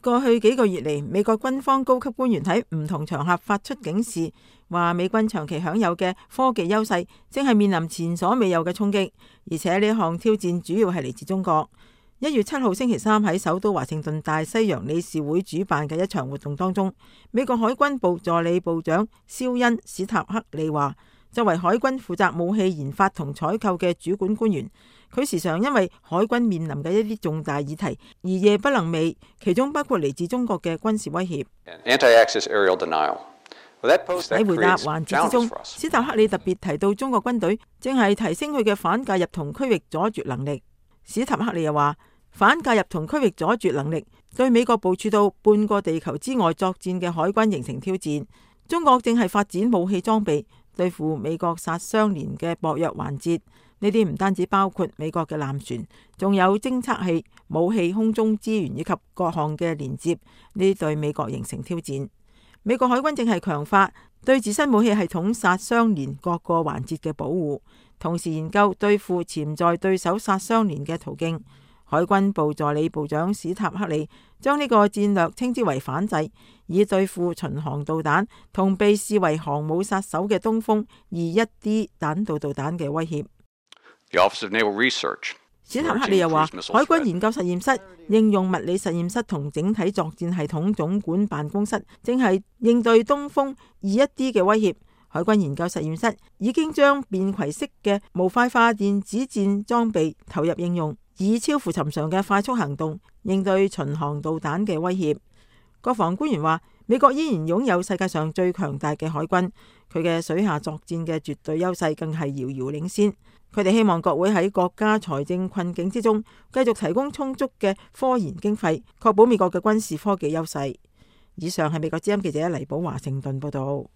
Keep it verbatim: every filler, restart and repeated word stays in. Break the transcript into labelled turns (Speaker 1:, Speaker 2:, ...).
Speaker 1: 過去幾個月嚟，美國軍方高級官員喺唔同場合發出警示，話美軍長期享有嘅科技優勢正係面臨前所未有嘅衝擊，而且呢項挑戰主要係嚟自中國。一月七號星期三喺首都華盛頓大西洋理事會主辦嘅一場活動當中，美國海軍部助理部長肖恩史塔克利話，作為海軍負責武器研發同採購嘅主管官員，佢時常因為海軍面臨嘅一啲重大議題而夜不能寐，其中包括嚟自中國嘅軍事威脅。喺回答環節之中，史塔克利特別提到中國軍隊正係提升佢嘅反介入同區域阻絕能力。史塔克利又話，反介入同區域阻絕能力對美國部署到半個地球之外作戰嘅海軍形成挑戰。中國正係發展武器裝備對付美國殺傷連嘅薄弱環節，呢啲唔單止包括美國嘅艦船，仲有偵測器、武器、空中資源以及各項嘅連接，呢啲對美國形成挑戰。美國海軍正係強化對自身武器系統殺傷連各個環節嘅保護，同時研究對付潛在對手殺傷連嘅途徑。海軍部助理部長史塔克利將呢個戰略稱之為反制，以對付巡航導彈同被視為航母殺手嘅東風二一 D 彈道導彈嘅威脅。史塔克利又話，海軍研究實驗室、應用物理實驗室同整體作戰系統總管辦公室正係應對東風二一 D 嘅威脅。海軍研究實驗室已經將便攜式嘅模塊化電子戰裝備投入應用，以超乎尋常嘅快速行動應對巡航導彈嘅威脅。國防官員話，美國依然擁有世界上最強大嘅海軍，佢嘅水下作戰嘅絕對優勢更係遙遙領先。佢哋希望國會喺國家財政困境之中繼續提供充足嘅科研經費，確保美國嘅軍事科技優勢。以上係美國之音記者黎寶華盛頓報道。